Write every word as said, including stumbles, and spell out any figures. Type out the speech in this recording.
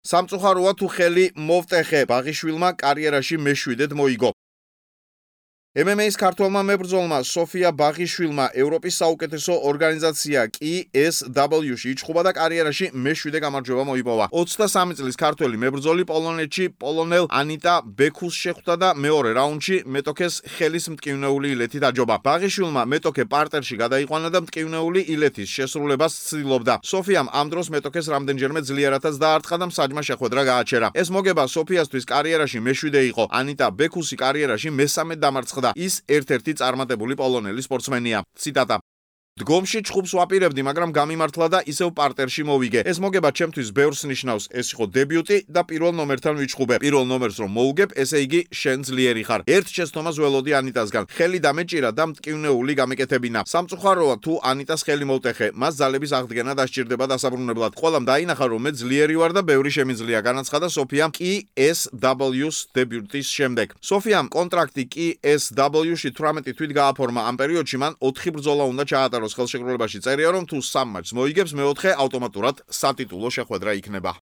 სამწუხაროა თუ ხელი მოვტეხე, ბაღიშვილმა კარიერაში მეშვიდედ მოიგო. ემ ემ ეის ქართველმა მებრძოლმა სოფია ბაღიშვილმა ევროპის საუკეთესო ორგანიზაცია კი ეს დაბლიუ-ში იჩხუბა და კარიერაში მეშვიდე გამარჯვება მოიპოვა. ოცდასამი წლის ქართველი მებრძოლი პოლონეთში პოლონელ ანიტა ბექუსს შეხვდა და მეორე რაუნდში მეტოქეს ხელის მტკივნეული ილეთი დაჯობა. ბაღიშვილმა მეტოქე პარტერში გადაიყვანა და მტკივნეული ილეთის შესრულებას ცდილობდა. სოფიამ ამ დროს მეტოქეს რამდენჯერმე ძლიერადაც დაარტყა და მსაჯმა შეხვედრა გააჩერა. ეს მოგება სოფიასთვის კარიერაში მეშვიდე იყო. ანიტა ბექუსი კარიერაში მესამედ დამარცხდა. ის ერთ-ერთი წარმატებული პოლონელი სპორტსმენია. ციტატა: დგომში ჩხუბს ვაპირებდი, მაგრამ გამიმართლა და ისევ პარტერში მოვიგე. ეს მოგება ჩემთვის ბევრს ნიშნავს. ეს იყო დებიუტი და პირველ ნომერთან ვიჩხუბე. პირველ ნომერს რომ მოუგებ, ესე იგი შენ ძლიერი ხარ. ერთ შეცდომას ველოდი ანიტასგან. ხელი დამეჭირა და მტკივნეული გამეკეთებინა. სამწუხაროა თუ ანიტას ხელი მოვტეხე, მას ძალების აღდგენა დასჭირდება დასაბრუნებლად. ყველამ დაინახა რომ მე ძლიერი ვარ და ბევრი შემიძლია, განაცხადა სოფიამ კი ეს დაბლიუ-ს დებიუტის შემდეგ. სოფიამ კონტრაქტი კი ეს დაბლიუ-ში თვრამეტი თვით გააფორმა. ამ პერიოდში მან ოთხი ბრძოლა უნდა ჩაატაროს. ხელშეკრულებაში წერია რომ თუ სამ მატჩს მოიგებს, მეოთხე ავტომატურად სატიტულო შეხვედრა იქნება.